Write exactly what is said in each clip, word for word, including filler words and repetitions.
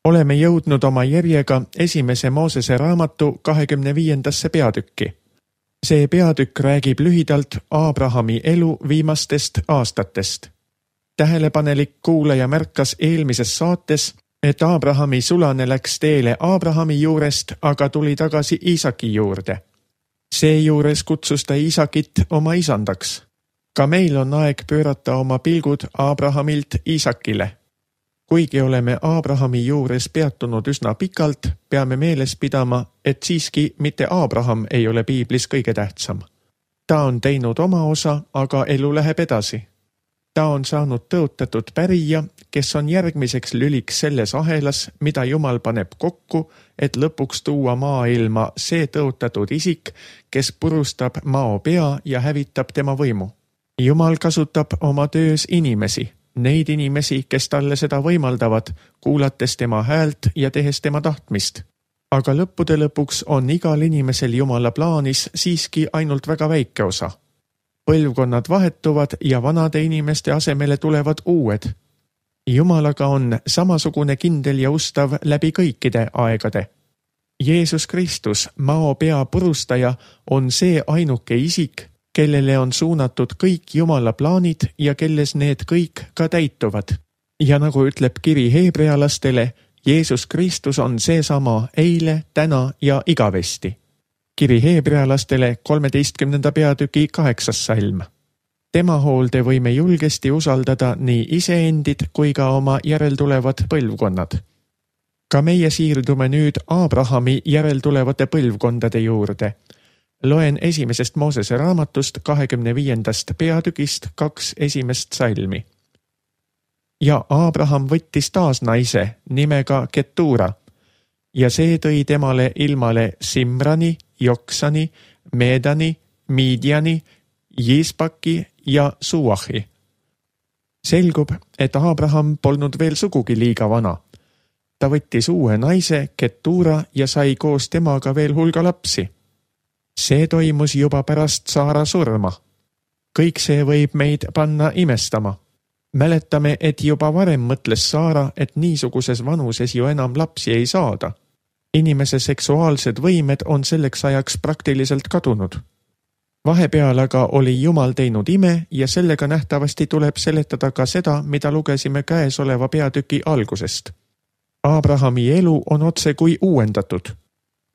Oleme jõudnud oma järjega esimese Moosese raamatu kahekümne viiendasse peatükki. See peatükk räägib lühidalt Aabrahami elu viimastest aastatest. Tähelepanelik kuulaja märkas eelmises saates, et Aabrahami sulane läks teele Aabrahami juurest, aga tuli tagasi Iisaki juurde. Seejuures kutsus ta Iisakit oma isandaks. Ka meil on aeg pöörata oma pilgud Aabrahamilt Iisakile. Kuigi oleme Aabrahami juures peatunud üsna pikalt, peame meeles pidama, et siiski mitte Aabraham ei ole piiblis kõige tähtsam. Ta on teinud oma osa, aga elu läheb edasi. Ta on saanud tõotatud pärija, kes on järgmiseks lüliks selles ahelas, mida Jumal paneb kokku, et lõpuks tuua maailma see tõotatud isik, kes purustab mao pea ja hävitab tema võimu. Jumal kasutab oma töös inimesi, neid inimesi, kes talle seda võimaldavad, kuulates tema häält ja tehes tema tahtmist. Aga lõppude lõpuks on igal inimesel Jumala plaanis siiski ainult väga väike osa. Põlvkonnad vahetuvad ja vanade inimeste asemele tulevad uued. Jumalaga on samasugune kindel ja ustav läbi kõikide aegade. Jeesus Kristus, mao pea purustaja, on see ainuke isik, kellele on suunatud kõik Jumala plaanid ja kelles need kõik ka täituvad. Ja nagu ütleb kiri heebrealastele, Jeesus Kristus on seesama eile, täna ja igavesti. Kiri heebrealastele kolmeteistkümnenda peatüki kaheksas salm. Tema hoolde võime julgesti usaldada nii iseendid kui ka oma järeltulevad põlvkonnad. Ka meie siirdume nüüd Aabrahami järeltulevate põlvkondade juurde. Loen esimesest Moosese raamatust kahekümne viiendast peatükist kaks esimest salmi. Ja Aabraham võttis taas naise nimega Ketura ja see tõi temale ilmale Simrani, Joksani, Meedani, Midiani, Jispaki ja Suahi. Selgub, et Aabraham polnud veel sugugi liiga vana. Ta võttis uue naise, Ketura, ja sai koos temaga veel hulga lapsi. See toimus juba pärast Saara surma. Kõik see võib meid panna imestama. Mäletame, et juba varem mõtles Saara, et niisuguses vanuses ju enam lapsi ei saada. Inimese seksuaalsed võimed on selleks ajaks praktiliselt kadunud. Vahepeal aga oli Jumal teinud ime ja sellega nähtavasti tuleb seletada ka seda, mida lugesime käesoleva peatüki algusest. Aabrahami elu on otse kui uuendatud.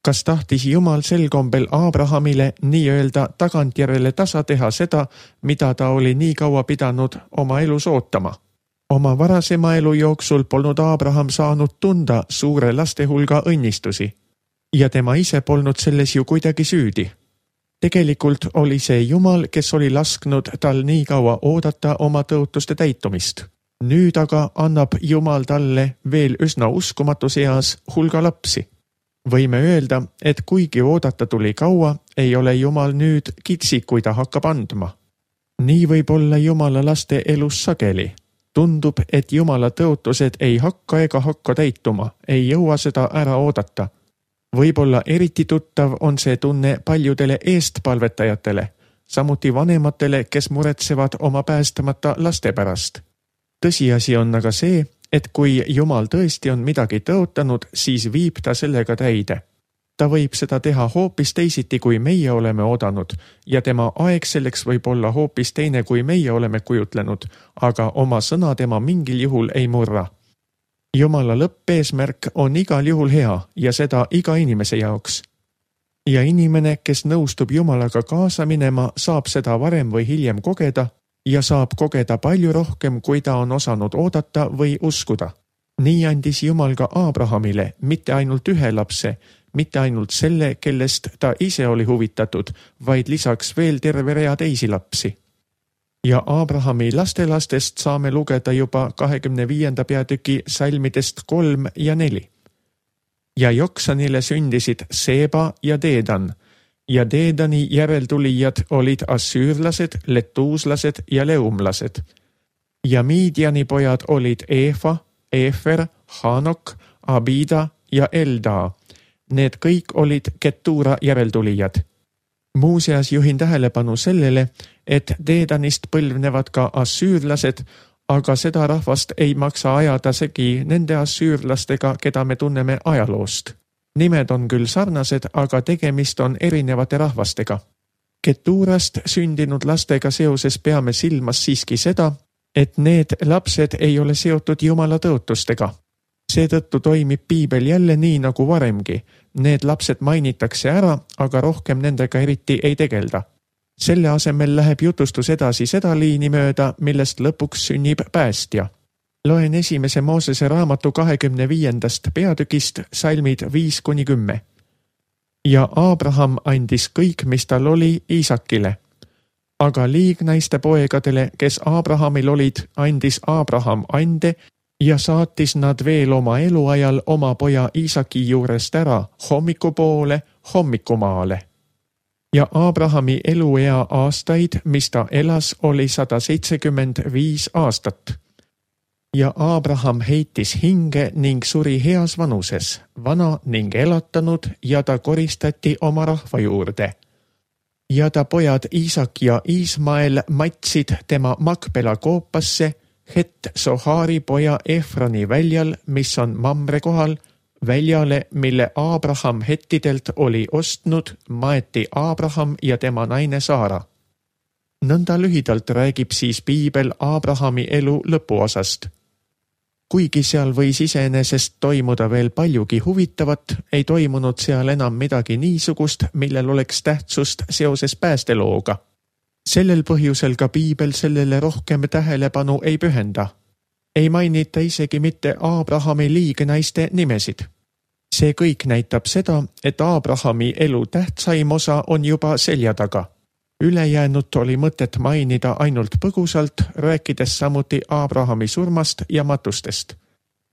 Kas tahtis Jumal sel kombel Aabrahamile nii-öelda tagantjärele tasa teha seda, mida ta oli nii kaua pidanud oma elus ootama? Oma varasema elu jooksul polnud Aabraham saanud tunda suure laste hulga õnnistusi ja tema ise polnud selles ju kuidagi süüdi. Tegelikult oli see Jumal, kes oli lasknud tal nii kaua oodata oma tõotuste täitumist. Nüüd aga annab Jumal talle veel üsna uskumatus eas hulga lapsi. Võime öelda, et kuigi oodata tuli kaua, ei ole Jumal nüüd kitsik, kui ta hakkab andma. Nii võib olla Jumala laste elus sageli. Tundub, et Jumala tõotused ei hakka ega hakka täituma, ei jõua seda ära oodata. Võib-olla eriti tuttav on see tunne paljudele eestpalvetajatele, samuti vanematele, kes muretsevad oma päästamata laste pärast. Tõsiasi on aga see, et kui Jumal tõesti on midagi tõotanud, siis viib ta sellega täide. Ta võib seda teha hoopis teisiti, kui meie oleme oodanud, ja tema aeg selleks võib olla hoopis teine, kui meie oleme kujutlenud, aga oma sõna tema mingil juhul ei murra. Jumala lõppeesmärk on igal juhul hea ja seda iga inimese jaoks. Ja inimene, kes nõustub Jumalaga kaasa minema, saab seda varem või hiljem kogeda ja saab kogeda palju rohkem, kui ta on osanud oodata või uskuda. Nii andis Jumal ka Aabrahamile mitte ainult ühe lapse, mitte ainult selle, kellest ta ise oli huvitatud, vaid lisaks veel terve rea teisi lapsi. Ja Aabrahami lastelastest saame lugeda juba kahekümne viienda peatüki salmidest kolm ja neli. Ja Joksanile sündisid Seba ja Deedan, ja Deedani järeltulijad olid assüürlased, letuuslased ja leumlased. Ja Midiani pojad olid Eefa, Eefer, Hanok, Abida ja Eldaa. Need kõik olid Ketura järeltulijad. Muuseas juhin tähelepanu sellele, et Deedanist põlvnevad ka assüürlased, aga seda rahvast ei maksa ajada segi nende assüürlastega, keda me tunneme ajaloost. Nimed on küll sarnased, aga tegemist on erinevate rahvastega. Keturast sündinud lastega seoses peame silmas siiski seda, et need lapsed ei ole seotud Jumala tõotustega. Seetõttu toimib piibel jälle nii nagu varemgi. Need lapsed mainitakse ära, aga rohkem nendega eriti ei tegelda. Selle asemel läheb jutustus edasi seda liini mööda, millest lõpuks sünnib päästja. Loen esimese Moosese raamatu kahekümne viiendast peatükist salmid viis kuni kümme. Ja Aabraham andis kõik, mis tal oli, Iisakile. Aga liignaiste poegadele, kes Aabrahamil olid, andis Aabraham ande ja saatis nad veel oma eluajal oma poja Iisaki juurest ära hommikupoole hommikumaale. Ja Aabrahami eluea aastaid, mis ta elas, oli sada seitsekümmend viis aastat. Ja Aabraham heitis hinge ning suri heas vanuses, vana ning elatanud, ja ta koristati oma rahva juurde. Ja ta pojad Iisak ja Iismael matsid tema Makpela koopasse, Het Sohari poja Efroni väljal, mis on Mamre kohal, väljale, mille Aabraham hettidelt oli ostnud, maeti Aabraham ja tema naine Saara. Nõnda lühidalt räägib siis piibel Aabrahami elu lõpuosast. Kuigi seal võis iseenesest toimuda veel paljugi huvitavat, ei toimunud seal enam midagi niisugust, millel oleks tähtsust seoses päästelooga. Sellel põhjusel ka piibel sellele rohkem tähelepanu ei pühenda. Ei mainita isegi mitte Aabrahami liignaiste nimesid. See kõik näitab seda, et Aabrahami elu tähtsaim osa on juba selja taga. Ülejäänut oli mõtet mainida ainult põgusalt, rääkides samuti Aabrahami surmast ja matustest.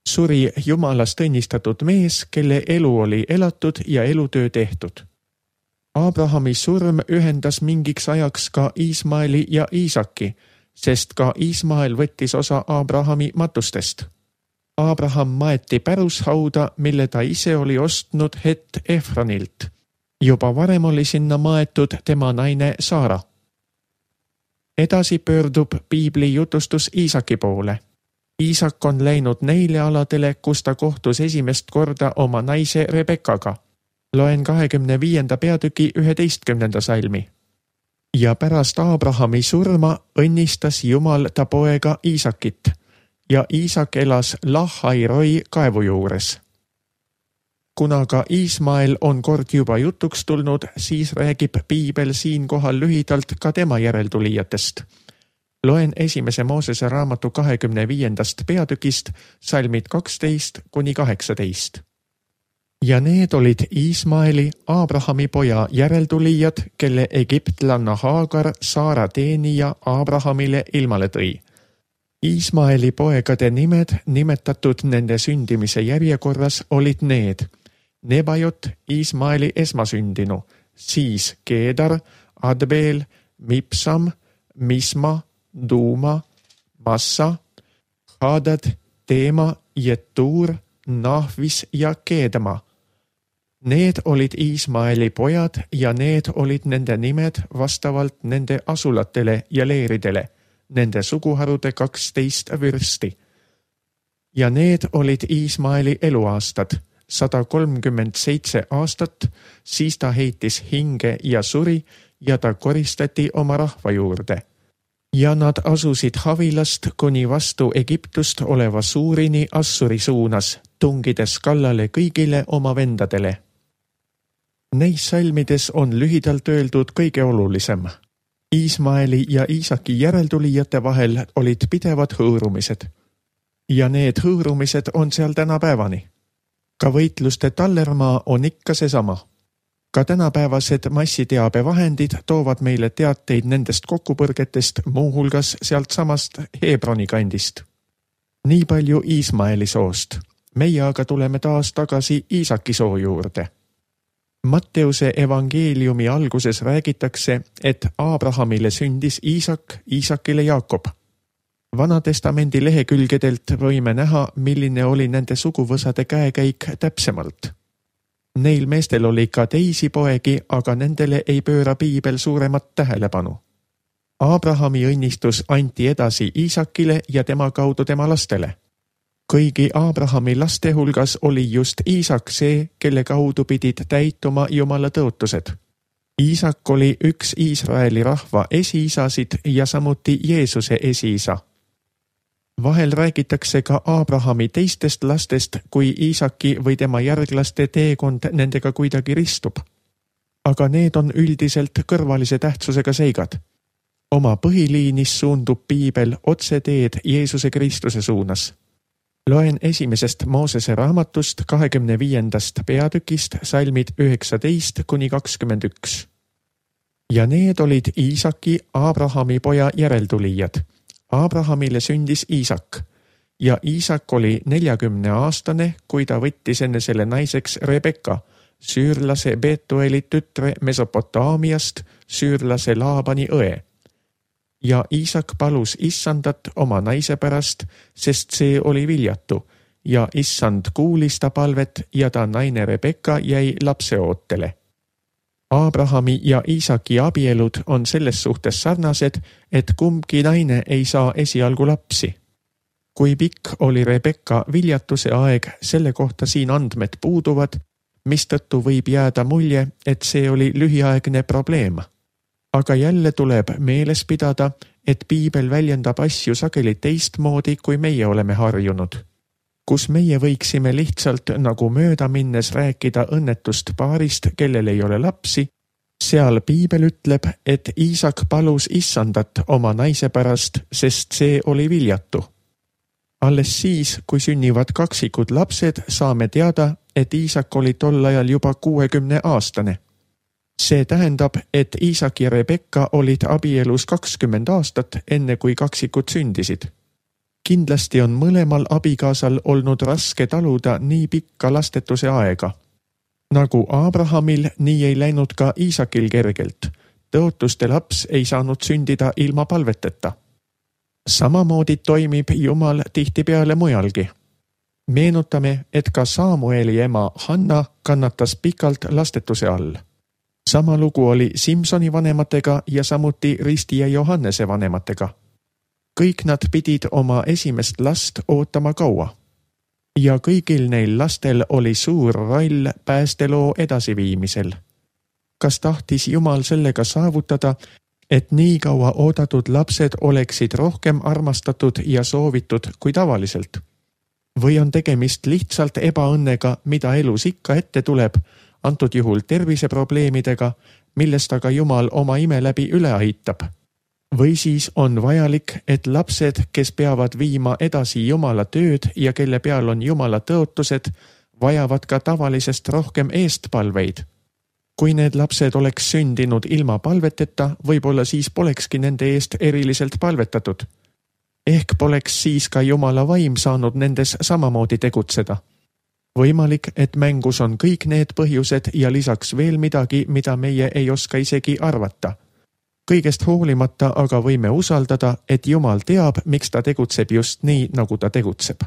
Suri Jumalast õnnistatud mees, kelle elu oli elatud ja elutöö tehtud. Aabrahami surm ühendas mingiks ajaks ka Iismaeli ja Iisaki, sest ka Iismael võttis osa Aabrahami matustest. Aabraham maeti pärushauda, mille ta ise oli ostnud Het Efronilt. Juba varem oli sinna maetud tema naine Saara. Edasi pöördub piibli jutustus Iisaki poole. Iisak on läinud neile aladele, kus ta kohtus esimest korda oma naise Rebekaga. Loen kahekümne viienda peatüki üheteistkümnenda salmi. Ja pärast Aabrahami surma õnnistas Jumal ta poega Iisakit ja Iisak elas Lahai-Roi kaevu juures. Kuna ka Iismael on kord juba jutuks tulnud, siis räägib piibel siinkohal lühidalt ka tema järeltulijatest. Loen esimese Moosese raamatu kahekümne viiendast peatükist salmid kaksteist kuni kaheksateist. Ja need olid Iismaeli, Aabrahami poja järeltulijad, kelle egiptlanna Haagar Saara teenija Aabrahamile ilmale tõi. Iismaeli poegade nimed, nimetatud nende sündimise järjekorras, olid need: Nebajot, Iismaeli esmasündinu, siis Keedar, Adbeel, Mipsam, Misma, Duuma, Massa, Hadad, Teema, Jetuur, Nahvis ja Keedama. Need olid Iismaeli pojad ja need olid nende nimed vastavalt nende asulatele ja leeridele, nende suguharude kaksteist vürsti. Ja need olid Iismaeli eluaastad, sada kolmkümmend seitse aastat, siis ta heitis hinge ja suri ja ta koristati oma rahva juurde. Ja nad asusid Havilast kuni vastu Egiptust oleva Suurini Assuri suunas, tungides kallale kõigile oma vendadele. Neis salmides on lühidalt öeldud kõige olulisem. Iismaeli ja Iisaki järeltulijate vahel olid pidevad hõõrumised. Ja need hõõrumised on seal tänapäevani. Ka võitluste tallermaa on ikka seesama. Ka tänapäevased massiteabevahendid toovad meile teateid nendest kokkupõrgetest, muuhulgas sealt samast Hebroni kandist. Nii palju Iismaeli soost. Meie aga tuleme taas tagasi Iisaki soo juurde. Matteuse evangeeliumi alguses räägitakse, et Aabrahamile sündis Iisak, Iisakile Jaakob. Vanatestamendi lehekülgedelt võime näha, milline oli nende suguvõsade käekäik täpsemalt. Neil meestel oli ka teisi poegi, aga nendele ei pööra piibel suuremat tähelepanu. Abrahami õnnistus anti edasi Iisakile ja tema kaudu tema lastele. Kõigi Abrahami laste hulgas oli just Iisak see, kelle kaudu pidid täituma Jumala tõotused. Iisak oli üks Iisraeli rahva esiisasid ja samuti Jeesuse esiisa. Vahel räägitakse ka Abrahami teistest lastest, kui Iisaki või tema järglaste teekond nendega kuidagi ristub. Aga need on üldiselt kõrvalise tähtsusega seigad. Oma põhiliinis suundub piibel otse teed Jeesuse Kristuse suunas. Loen esimesest Moosese raamatust kahekümne viiendast peatükist salmid üheksateist kuni kakskümmend üks. Ja need olid Iisaki, Abrahami poja järeltulijad. Abrahamile sündis Iisak ja Iisak oli neljakümne aastane, kui ta võttis enne selle naiseks Rebeka, süürlase Betueli tütre Mesopotaamiast, süürlase Laabani õe. Ja Iisak palus issandat oma naise pärast, sest see oli viljatu ja issand kuulis ta palvet ja ta naine Rebeka jäi lapseootele. Abrahami ja Iisaki abielud on selles suhtes sarnased, et kumbki naine ei saa esialgu lapsi. Kui pikk oli Rebeka viljatuse aeg, selle kohta siin andmed puuduvad, mistõttu võib jääda mulje, et see oli lühiaegne probleem. Aga jälle tuleb meeles pidada, et piibel väljendab asju sageli teistmoodi, kui meie oleme harjunud. Kus meie võiksime lihtsalt nagu mööda minnes rääkida õnnetust paarist, kellel ei ole lapsi, seal piibel ütleb, et Iisak palus issandat oma naise pärast, sest see oli viljatu. Alles siis, kui sünnivad kaksikud lapsed, saame teada, et Iisak oli tol ajal juba kuuekümne aastane. See tähendab, et Iisak ja Rebeka olid abielus kakskümmend aastat enne kui kaksikud sündisid. Kindlasti on mõlemal abikaasal olnud raske taluda nii pikka lastetuse aega. Nagu Abrahamil, nii ei läinud ka Iisakil kergelt. Tõotuste laps ei saanud sündida ilma palveteta. Samamoodi toimib Jumal tihtipeale mujalgi. Meenutame, et ka Samueli ema Hanna kannatas pikalt lastetuse all. Sama lugu oli Simsoni vanematega ja samuti Risti ja Johannese vanematega. Kõik nad pidid oma esimest last ootama kaua. Ja kõigil neil lastel oli suur roll päästeloo edasiviimisel. Kas tahtis Jumal sellega saavutada, et nii kaua oodatud lapsed oleksid rohkem armastatud ja soovitud kui tavaliselt? Või on tegemist lihtsalt ebaõnnega, mida elus ikka ette tuleb, antud juhul terviseprobleemidega, millest aga Jumal oma ime läbi üle aitab? Või siis on vajalik, et lapsed, kes peavad viima edasi Jumala tööd ja kelle peal on Jumala tõotused, vajavad ka tavalisest rohkem eestpalveid. Kui need lapsed oleks sündinud ilma palveteta, võib-olla siis polekski nende eest eriliselt palvetatud. Ehk poleks siis ka Jumala vaim saanud nendes samamoodi tegutseda. Võimalik, et mängus on kõik need põhjused ja lisaks veel midagi, mida meie ei oska isegi arvata. Kõigest hoolimata aga võime usaldada, et Jumal teab, miks ta tegutseb just nii, nagu ta tegutseb.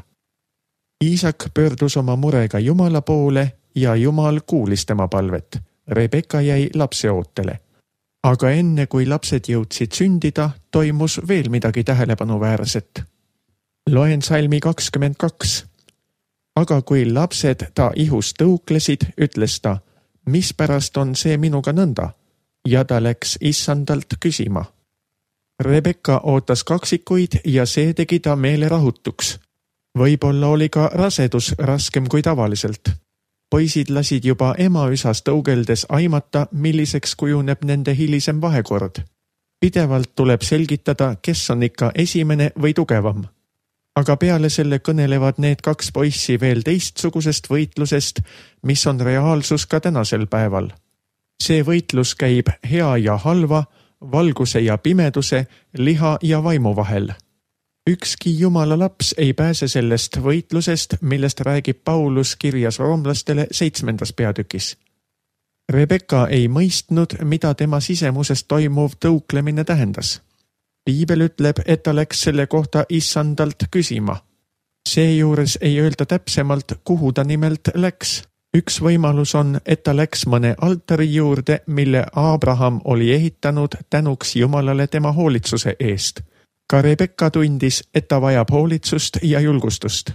Iisak pöördus oma murega Jumala poole ja Jumal kuulis tema palvet. Rebeka jäi lapseootele. Aga enne kui lapsed jõudsid sündida, toimus veel midagi tähelepanuväärset. Loen salmi kakskümmend kaks. Aga kui lapsed ta ihus tõuklesid, ütles ta, mispärast on see minuga nõnda? Ja ta läks issandalt küsima. Rebeka ootas kaksikuid ja see tegi ta meele rahutuks. Võib-olla oli ka rasedus raskem kui tavaliselt. Poisid lasid juba ema üsas tõugeldes aimata, milliseks kujuneb nende hilisem vahekord. Pidevalt tuleb selgitada, kes on ikka esimene või tugevam. Aga peale selle kõnelevad need kaks poissi veel teistsugusest võitlusest, mis on reaalsus ka tänasel päeval. See võitlus käib hea ja halva, valguse ja pimeduse, liha ja vaimu vahel. Ükski Jumala laps ei pääse sellest võitlusest, millest räägib Paulus kirjas roomlastele seitsmendas peatükis. Rebeka ei mõistnud, mida tema sisemuses toimuv tõuklemine tähendas. Piibel ütleb, et ta läks selle kohta issandalt küsima. Seejuures ei öelda täpsemalt, kuhu ta nimelt läks. Üks võimalus on, et ta läks mõne altari juurde, mille Abraham oli ehitanud tänuks Jumalale tema hoolitsuse eest. Ka Rebekka tundis, et ta vajab hoolitsust ja julgustust.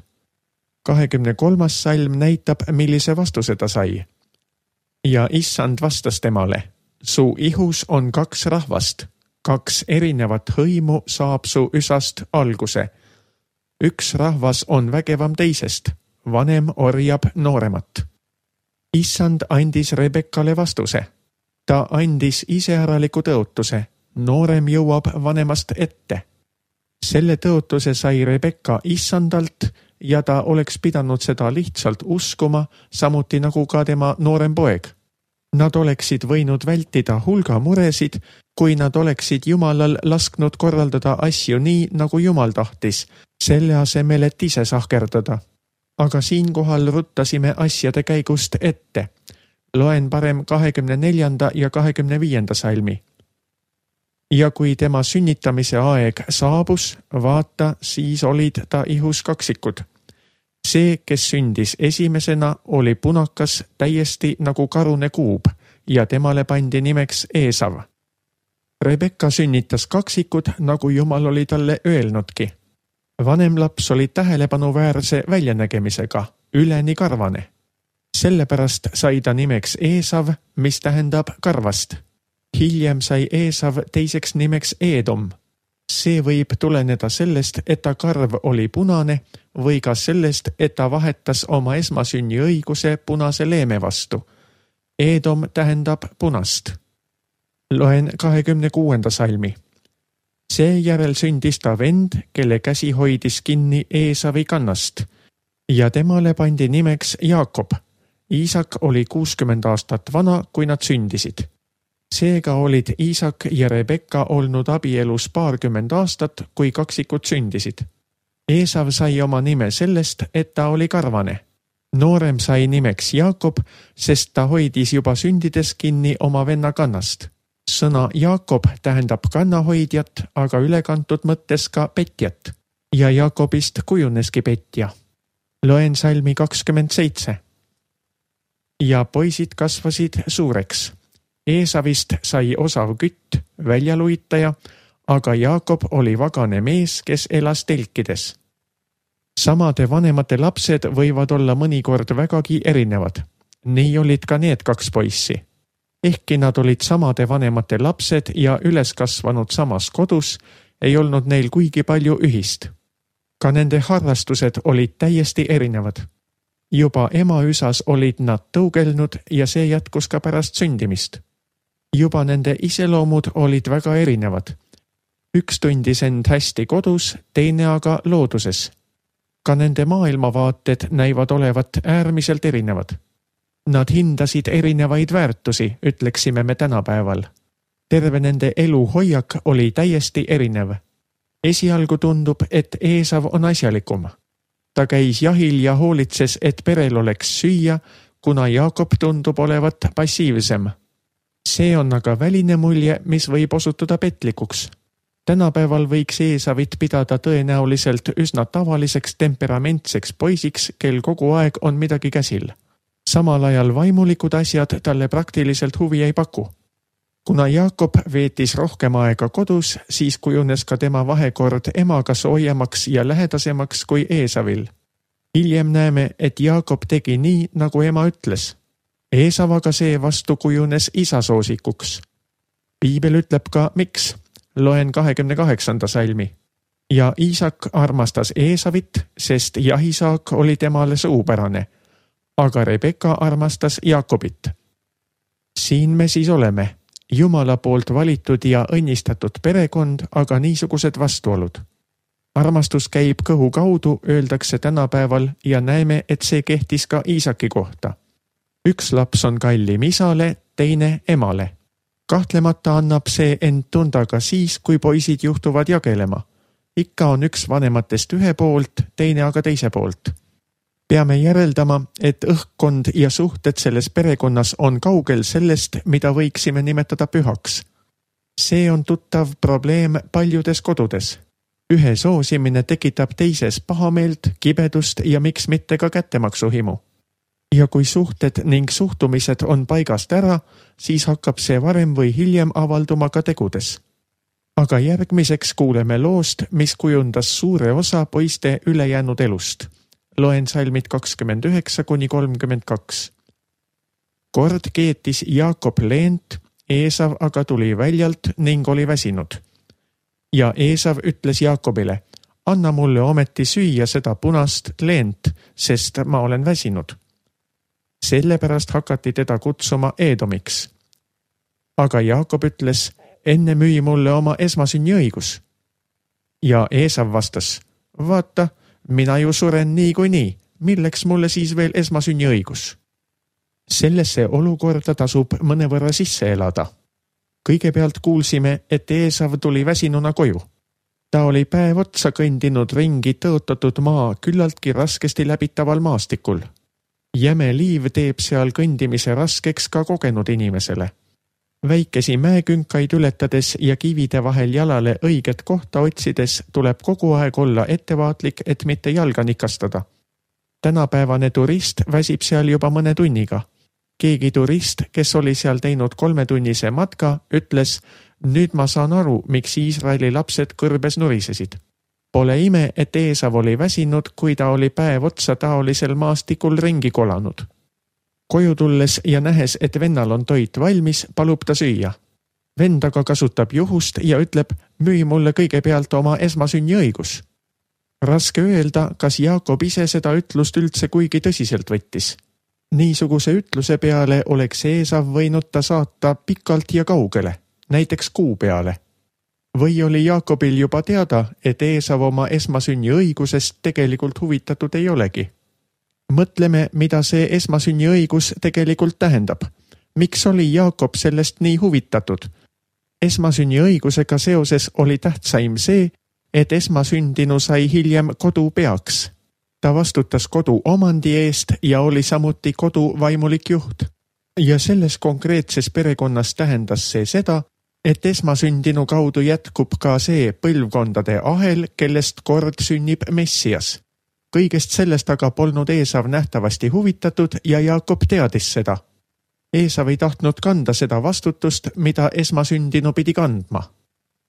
kahekümne kolmas salm näitab, millise vastuse ta sai. Ja issand vastas temale, su ihus on kaks rahvast, kaks erinevat hõimu saab su üsast alguse. Üks rahvas on vägevam teisest, vanem orjab nooremat. Issand andis Rebekkale vastuse. Ta andis iseäraliku tõotuse, noorem jõuab vanemast ette. Selle tõotuse sai Rebekka issandalt ja ta oleks pidanud seda lihtsalt uskuma, samuti nagu ka tema noorem poeg. Nad oleksid võinud vältida hulga muresid, kui nad oleksid Jumalal lasknud korraldada asju nii, nagu Jumal tahtis, selle asemel, et ise sahkerdada. Aga siinkohal ruttasime asjade käigust ette. Loen parem kahekümne neljanda ja kahekümne viienda salmi. Ja kui tema sünnitamise aeg saabus, vaata, siis olid ta ihus kaksikud. See, kes sündis esimesena, oli punakas täiesti nagu karune kuub ja temale pandi nimeks Eesav. Rebekka sünnitas kaksikud, nagu Jumal oli talle öelnudki. Vanem laps oli tähelepanuväärse väljanägemisega, üleni karvane. Sellepärast sai ta nimeks Eesav, mis tähendab karvast. Hiljem sai Eesav teiseks nimeks Eedom. See võib tuleneda sellest, et ta karv oli punane või ka sellest, et ta vahetas oma esmasünni õiguse punase leeme vastu. Eedom tähendab punast. Loen kahekümne kuuenda salmi. Seejärel sündis ta vend, kelle käsi hoidis kinni Eesavi kannast ja temale pandi nimeks Jaakob. Iisak oli kuuskümmend aastat vana, kui nad sündisid. Seega olid Iisak ja Rebekka olnud abielus paarkümmend aastat, kui kaksikud sündisid. Eesav sai oma nime sellest, et ta oli karvane. Noorem sai nimeks Jaakob, sest ta hoidis juba sündides kinni oma venna kannast. Sõna Jaakob tähendab kannahoidjat, aga ülekantud mõttes ka petjat. Ja Jaakobist kujuneski petja. Loen salmi kakskümmend seitse. Ja poisid kasvasid suureks. Eesavist sai osav kütt, väljaluitaja, aga Jaakob oli vagane mees, kes elas telkides. Samade vanemate lapsed võivad olla mõnikord vägagi erinevad. Nii olid ka need kaks poissi. Ehkki nad olid samade vanemate lapsed ja üles kasvanud samas kodus, ei olnud neil kuigi palju ühist. Ka nende harrastused olid täiesti erinevad. Juba emaüsas olid nad tõugelnud ja see jätkus ka pärast sündimist. Juba nende iseloomud olid väga erinevad. Üks tundis end hästi kodus, teine aga looduses. Ka nende maailmavaated näivad olevat äärmiselt erinevad. Nad hindasid erinevaid väärtusi, ütleksime me tänapäeval. Terve nende elu hoiak oli täiesti erinev. Esialgu tundub, et Eesav on asjalikum. Ta käis jahil ja hoolitses, et perel oleks süüa, kuna Jaakob tundub olevat passiivsem. See on aga väline mulje, mis võib osutuda petlikuks. Tänapäeval võiks Eesavit pidada tõenäoliselt üsna tavaliseks temperamentseks poisiks, kel kogu aeg on midagi käsil. Samal ajal vaimulikud asjad talle praktiliselt huvi ei paku. Kuna Jaakob veetis rohkem aega kodus, siis kujunes ka tema vahekord emaga soojemaks ja lähedasemaks kui Eesavil. Hiljem näeme, et Jaakob tegi nii, nagu ema ütles. Eesav aga seevastu kujunes isasoosikuks. Piibel ütleb ka, miks. Loen kahekümne kaheksanda salmi. Ja Iisak armastas Eesavit, sest jahisaak oli temale suupärane, aga Rebekka armastas Jaakobit. Siin me siis oleme. Jumala poolt valitud ja õnnistatud perekond, aga niisugused vastuolud. Armastus käib kõhu kaudu, öeldakse tänapäeval ja näeme, et see kehtis ka Iisaki kohta. Üks laps on kallim isale, teine emale. Kahtlemata annab see end tunda ka siis, kui poisid juhtuvad jagelema. Ikka on üks vanematest ühe poolt, teine aga teise poolt. Peame järeldama, et õhkkond ja suhted selles perekonnas on kaugel sellest, mida võiksime nimetada pühaks. See on tuttav probleem paljudes kodudes. Ühe soosimine tekitab teises pahameelt, kibedust ja miks mitte ka kättemaksuhimu. Ja kui suhted ning suhtumised on paigast ära, siis hakkab see varem või hiljem avalduma ka tegudes. Aga järgmiseks kuuleme loost, mis kujundas suure osa poiste ülejäänud elust. Loen salmid kakskümmend üheksa kuni kolmkümmend kaks. Kord keetis Jaakob leent, Eesav aga tuli väljalt ning oli väsinud. Ja Eesav ütles Jaakobile, anna mulle ometi süüa seda punast leent, sest ma olen väsinud. Sellepärast hakati teda kutsuma Eedomiks. Aga Jaakob ütles, enne müü mulle oma esmasünniõigus. Ja Eesav vastas, vaata, mina ju suren nii kui nii, milleks mulle siis veel esmasünniõigus? Sellesse olukorda tasub mõnevõrra sisse elada. Kõigepealt kuulsime, et Eesav tuli väsinuna koju. Ta oli päev otsa kõndinud ringi tõotatud maa küllaltki raskesti läbitaval maastikul. Jäme liiv teeb seal kõndimise raskeks ka kogenud inimesele. Väikesi mäekünkaid ületades ja kivide vahel jalale õiget kohta otsides tuleb kogu aeg olla ettevaatlik, et mitte jalga nikastada. Tänapäevane turist väsib seal juba mõne tunniga. Keegi turist, kes oli seal teinud kolmetunnise matka, ütles, nüüd ma saan aru, miks Iisraeli lapsed kõrbes nurisesid. Pole ime, et Eesav oli väsinud, kui ta oli päev otsa taolisel maastikul ringi kolanud. Koju tulles ja nähes, et vennal on toit valmis, palub ta süüa. Vend aga kasutab juhust ja ütleb, müü mulle kõigepealt oma esmasünniõigus. Raske öelda, kas Jaakob ise seda ütlust üldse kuigi tõsiselt võttis. Niisuguse ütluse peale oleks Eesav võinud ta saata pikalt ja kaugele, näiteks kuu peale. Või oli Jaakobil juba teada, et Eesav oma esmasünniõigusest tegelikult huvitatud ei olegi? Mõtleme, mida see esmasünniõigus tegelikult tähendab. Miks oli Jaakob sellest nii huvitatud? Esmasünniõigusega seoses oli tähtsaim see, et esmasündinu sai hiljem kodu peaks. Ta vastutas kodu omandi eest ja oli samuti kodu vaimulik juht. Ja selles konkreetses perekonnas tähendas see seda, et esmasündinu kaudu jätkub ka see põlvkondade ahel, kellest kord sünnib Messias. Kõigest sellest aga polnud Eesav nähtavasti huvitatud ja Jaakob teadis seda. Eesav ei tahtnud kanda seda vastutust, mida esmasündinu pidi kandma.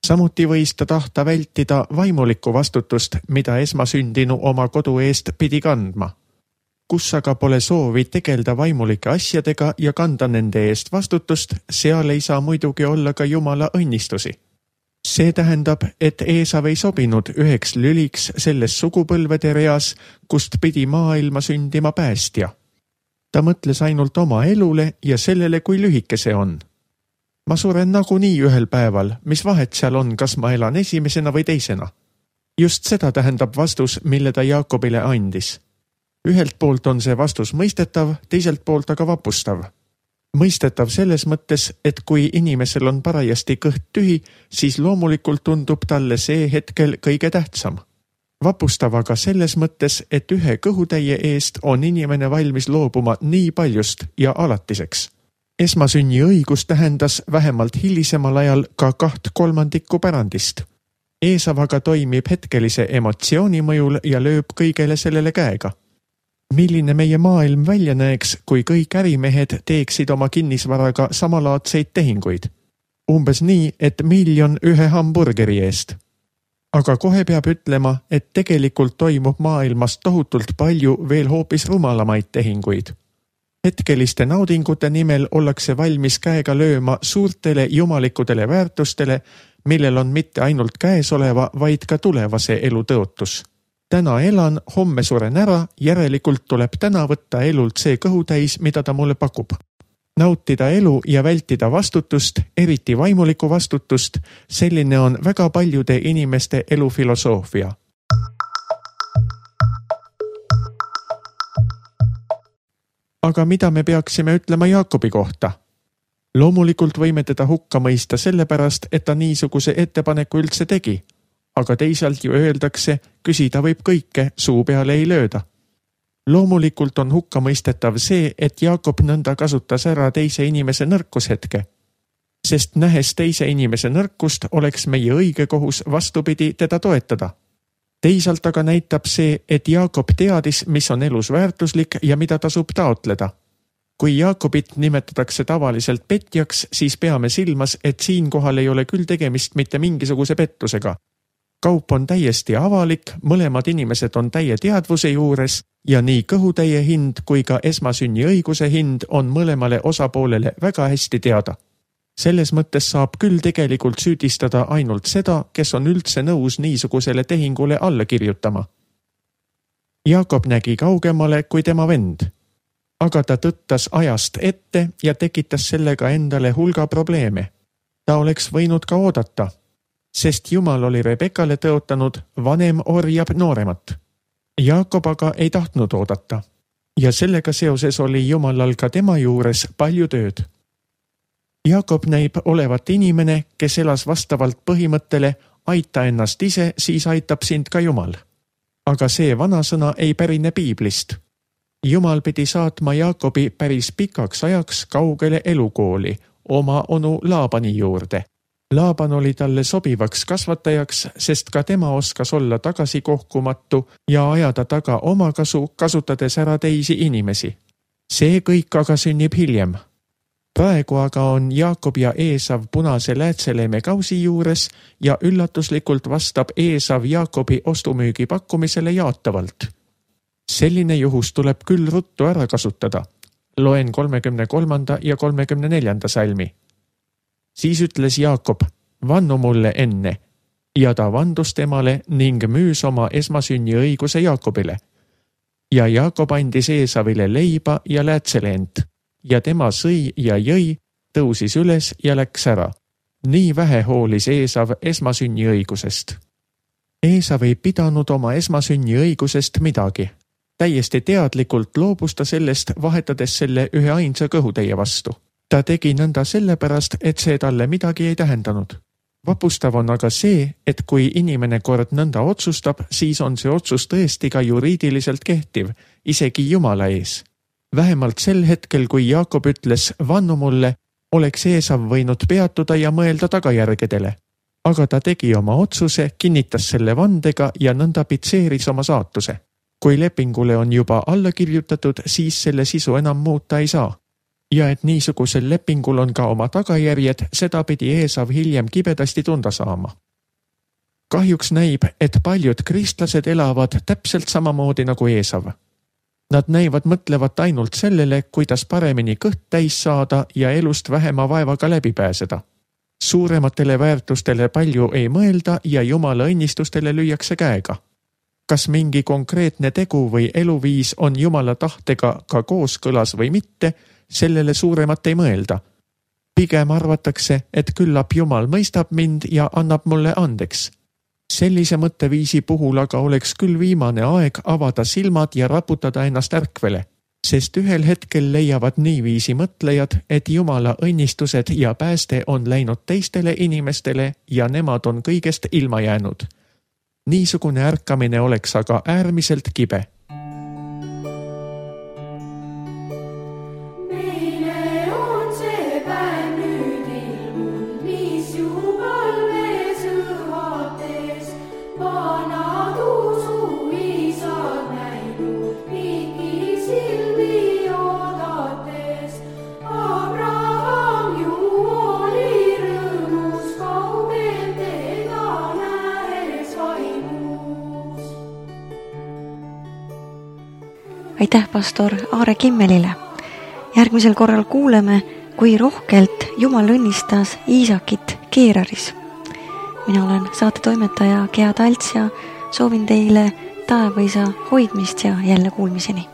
Samuti võis ta tahta vältida vaimulikku vastutust, mida esmasündinu oma kodu eest pidi kandma. Kus aga pole soovi tegelda vaimulike asjadega ja kanda nende eest vastutust, seal ei saa muidugi olla ka Jumala õnnistusi. See tähendab, et Eesav ei sobinud üheks lüliks selles sugupõlvede reas, kust pidi maailma sündima päästja. Ta mõtles ainult oma elule ja sellele, kui lühike see on. Ma suren nagunii ühel päeval, mis vahet seal on, kas ma elan esimesena või teisena. Just seda tähendab vastus, mille ta Jaakobile andis. Ühelt poolt on see vastus mõistetav, teiselt poolt aga vapustav. Mõistetav selles mõttes, et kui inimesel on parajasti kõht tühi, siis loomulikult tundub talle see hetkel kõige tähtsam. Vapustav aga selles mõttes, et ühe kõhutäie eest on inimene valmis loobuma nii paljust ja alatiseks. Esmasünniõigus tähendas vähemalt hilisemal ajal ka kaht kolmandikku pärandist. Eesav aga toimib hetkelise emotsiooni mõjul ja lööb kõigele sellele käega. Milline meie maailm välja näeks, kui kõik ärimehed teeksid oma kinnisvaraga samalaadseid tehinguid? Umbes nii, et miljon ühe hamburgeri eest. Aga kohe peab ütlema, et tegelikult toimub maailmas tohutult palju veel hoopis rumalamaid tehinguid. Hetkeliste naudingute nimel ollakse valmis käega lööma suurtele jumalikudele väärtustele, millel on mitte ainult käesoleva, vaid ka tulevase elu tõotus. Täna elan, homme suren ära, järelikult tuleb täna võtta elult see kõhutäis, mida ta mulle pakub. Nautida elu ja vältida vastutust, eriti vaimulikku vastutust, selline on väga paljude inimeste elufilosoofia. Aga mida me peaksime ütlema Jaakobi kohta? Loomulikult võime teda hukka mõista sellepärast, et ta niisuguse ettepaneku üldse tegi. Aga teisalt ju öeldakse, küsida võib kõike, suu peale ei lööda. Loomulikult on hukka mõistetav see, et Jaakob nõnda kasutas ära teise inimese nõrkushetke. Sest nähes teise inimese nõrkust, oleks meie õige kohus vastupidi teda toetada. Teisalt aga näitab see, et Jaakob teadis, mis on elus väärtuslik ja mida tasub taotleda. Kui Jaakobit nimetatakse tavaliselt petjaks, siis peame silmas, et siinkohal ei ole küll tegemist mitte mingisuguse pettusega. Kaup on täiesti avalik, mõlemad inimesed on täie teadvuse juures ja nii kõhutäie hind kui ka esmasünni õiguse hind on mõlemale osapoolele väga hästi teada. Selles mõttes saab küll tegelikult süüdistada ainult seda, kes on üldse nõus niisugusele tehingule alla kirjutama. Jaakob nägi kaugemale kui tema vend, aga ta tõttas ajast ette ja tekitas sellega endale hulga probleeme. Ta oleks võinud ka oodata, sest Jumal oli Rebekale tõotanud, vanem orjab nooremat. Jaakob aga ei tahtnud oodata ja sellega seoses oli Jumalal ka tema juures palju tööd. Jaakob näib olevat inimene, kes elas vastavalt põhimõttele aita ennast ise, siis aitab sind ka Jumal. Aga see vanasõna ei pärine piiblist. Jumal pidi saatma Jaakobi päris pikaks ajaks kaugele elukooli, oma onu Laabani juurde. Laaban oli talle sobivaks kasvatajaks, sest ka tema oskas olla tagasikohkumatu ja ajada taga oma kasu, kasutades ära teisi inimesi. See kõik aga sünnib hiljem. Praegu aga on Jaakob ja Eesav punase läätseleeme kausi juures ja üllatuslikult vastab Eesav Jaakobi ostumüügi pakkumisele jaatavalt. Selline juhus tuleb küll ruttu ära kasutada. Loen kolmekümne kolmanda ja kolmekümne neljanda salmi. Siis ütles Jaakob, vannu mulle enne, ja ta vandus temale ning müüs oma esmasünni õiguse Jaakobile. Ja Jaakob andis Eesavile leiba ja läätseleent, ja tema sõi ja jõi, tõusis üles ja läks ära. Nii vähe hoolis Eesav esmasünni õigusest. Eesav ei pidanud oma esmasünni õigusest midagi. Täiesti teadlikult loobus ta sellest, vahetades selle ühe ainsa kõhutäie vastu. Ta tegi nõnda sellepärast, et see talle midagi ei tähendanud. Vapustav on aga see, et kui inimene kord nõnda otsustab, siis on see otsus tõesti ka juriidiliselt kehtiv, isegi Jumala ees. Vähemalt sel hetkel, kui Jaakob ütles vannu mulle, oleks Eesav võinud peatuda ja mõelda tagajärgedele. Aga ta tegi oma otsuse, kinnitas selle vandega ja nõnda pitseeris oma saatuse. Kui lepingule on juba alla kirjutatud, siis selle sisu enam muuta ei saa. Ja et niisugusel lepingul on ka oma tagajärjed, seda pidi Eesav hiljem kibedasti tunda saama. Kahjuks näib, et paljud kristlased elavad täpselt samamoodi nagu Eesav. Nad näivad mõtlevat ainult sellele, kuidas paremini kõht täis saada ja elust vähema vaevaga läbi pääseda. Suurematele väärtustele palju ei mõelda ja Jumala õnnistustele lüüakse käega. Kas mingi konkreetne tegu või eluviis on Jumala tahtega ka kooskõlas või mitte, sellele suuremat ei mõelda. Pigem arvatakse, et küllap Jumal mõistab mind ja annab mulle andeks. Sellise mõtteviisi puhul aga oleks küll viimane aeg avada silmad ja raputada ennast ärkvele, sest ühel hetkel leiavad niiviisi mõtlejad, et Jumala õnnistused ja pääste on läinud teistele inimestele ja nemad on kõigest ilma jäänud. Niisugune ärkamine oleks aga äärmiselt kibe. Aitäh pastor Aare Kimmelile. Järgmisel korral kuuleme, kui rohkelt Jumal õnnistas Iisakit Geeraris. Mina olen saatetoimetaja Gea Talts ja soovin teile taevaisa hoidmist ja jälle kuulmiseni.